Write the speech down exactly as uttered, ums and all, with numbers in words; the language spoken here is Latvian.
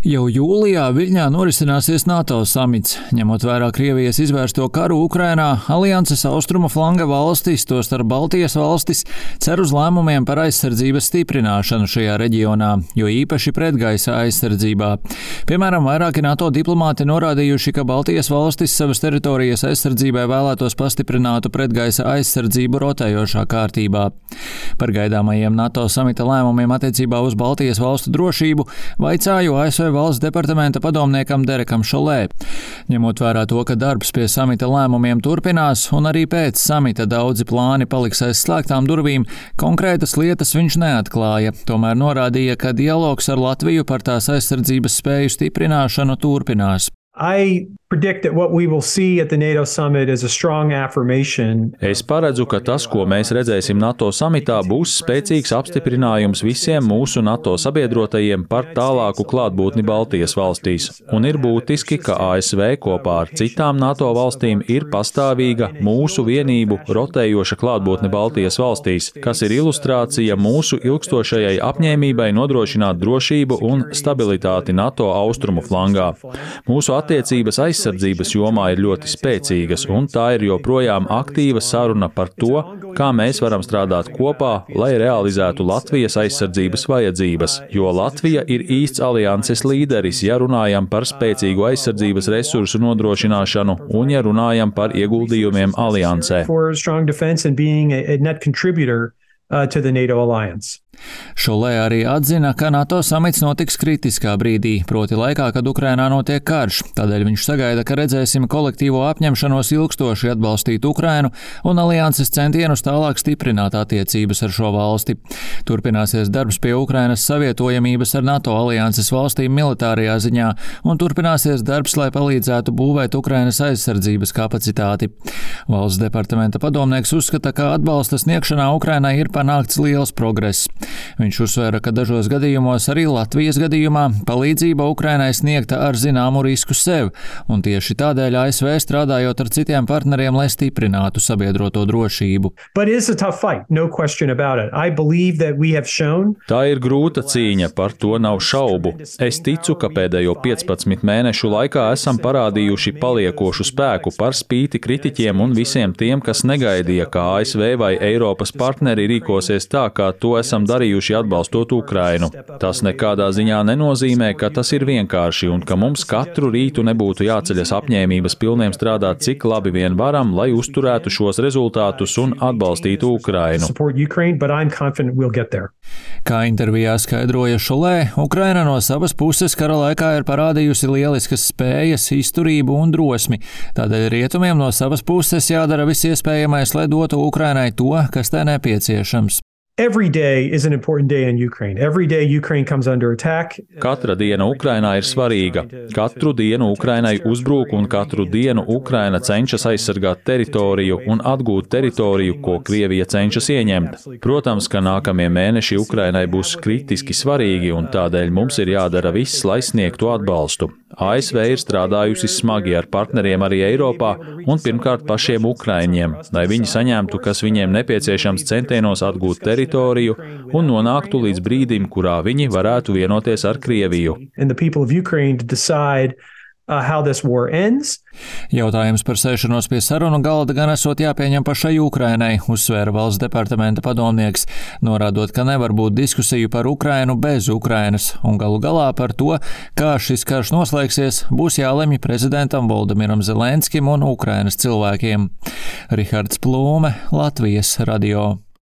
Jau jūlijā Viļņā norisināsies NATO samits. Ņemot vērā Krievijas izvērsto karu Ukrainā, alianses austrumu flanga valstis, tostarp Baltijas valstis, cer uz lēmumiem par aizsardzības stiprināšanu šajā reģionā, jo īpaši pretgaisa aizsardzībā. Piemēram, vairāki NATO diplomāti norādījuši, ka Baltijas valstis savas teritorijas aizsardzībai vēlētos pastiprinātu pretgaisa aizsardzību rotējošā kārtībā. Par gaidāmajiem NATO samita lēmumiem attiecībā uz Baltijas valstu drošību vaicāju A S V valsts departamenta padomniekam Derekam Šolē. Ņemot vērā to, ka darbs pie samita lēmumiem turpinās un arī pēc samita daudzi plāni paliks aiz slēgtām durvīm, konkrētas lietas viņš neatklāja, tomēr norādīja, ka dialogs ar Latviju par tās aizsardzības spēju stiprināšanu turpinās. I predict that what we will see at the NATO summit is a strong affirmation. Es paredzu, ka tas, ko mēs redzēsim NATO samitā, būs spēcīgs apstiprinājums visiem mūsu NATO sabiedrotajiem par tālāku klātbūtni Baltijas valstīs. Un ir būtiski, ka A S V kopā ar citām NATO valstīm ir pastāvīga mūsu vienību rotējoša klātbūtne Baltijas valstīs, kas ir ilustrācija mūsu ilgstošajai apņēmībai nodrošināt drošību un stabilitāti NATO austrumu flangā. Mūsu attiecības aizsardzības jomā ir ļoti spēcīgas, un tā ir joprojām aktīva saruna par to, kā mēs varam strādāt kopā, lai realizētu Latvijas aizsardzības vajadzības, jo Latvija ir īsts alianses līderis, ja runājam par spēcīgu aizsardzības resursu nodrošināšanu un ja runājam par ieguldījumiem aliansē. Uh, to the NATO alliance. Šolē arī atzina, ka NATO samits notiks kritiskā brīdī, proti laikā, kad Ukrainā notiek karš. Tādēļ viņš sagaida, ka redzēsim kolektīvo apņemšanos ilgstoši atbalstīt Ukrainu un alianses centienus tālāk stiprināt attiecības ar šo valsti. Turpināsies darbs pie Ukrainas savietojamības ar NATO alianses valstīm militārajā ziņā un turpināsies darbs, lai palīdzētu būvēt Ukrainas aizsardzības kapacitāti. Valsts departamenta padomnieks uzskata, ka atbalsta sniegšanā Ukrainai ir panākts liels progress. Viņš uzsvēra, ka dažos gadījumos, arī Latvijas gadījumā, palīdzība Ukrainai sniegta ar zināmu risku sev, un tieši tādēļ A S V strādājot ar citiem partneriem, lai stiprinātu sabiedroto drošību. No shown... Tā ir grūta cīņa, par to nav šaubu. Es ticu, ka pēdējo piecpadsmit mēnešu laikā esam parādījuši paliekošu spēku par spīti kritiķiem un visiem tiem, kas negaidīja, ka A S V vai Eiropas partneri rīkosies tā, kā to esam darījuši atbalstot Ukrainu. Tas nekādā ziņā nenozīmē, ka tas ir vienkārši un ka mums katru rītu nebūtu jāceļas apņēmības pilniem strādāt cik labi vien varam, lai uzturētu šos rezultātus un atbalstītu Ukrainu. Kā intervijā skaidroja Šolē, Ukraina no savas puses kara laikā ir parādījusi lieliskas spējas, izturību un drosmi. Tādēļ rietumiem no savas puses jādara viss iespējamais, lai dotu Ukrainai to, kas tai nepieciešams. Every day is an important day in Ukraine. Every day Ukraine comes under attack. Katra diena Ukrainā ir svarīga. Katru dienu Ukrainai uzbrūk un katru dienu Ukraina cenšas aizsargāt teritoriju un atgūt teritoriju, ko Krievija cenšas ieņemt. Protams, ka nākamie mēneši Ukrainai būs kritiski svarīgi un tādēļ mums ir jādara viss, lai sniegtu atbalstu. A S V ir strādājusi smagi ar partneriem arī Eiropā un pirmkārt pašiem ukraiņiem, lai viņi saņemtu, kas viņiem nepieciešams centienos atgūt teritoriju un nonāktu līdz brīdim, kurā viņi varētu vienoties ar Krieviju. Uh, how this war ends. Jautājums par sēšanos pie sarunu galda gan esot jāpieņem pašai Ukrainai, uzsvēra valsts departamenta padomnieks, norādot, ka nevar būt diskusiju par Ukrainu bez Ukrainas, un galu galā par to, kā šis karš noslēgsies, būs jālemj prezidentam Voldemiram Zelenskim un Ukrainas cilvēkiem. Rihards Plūme, Latvijas radio.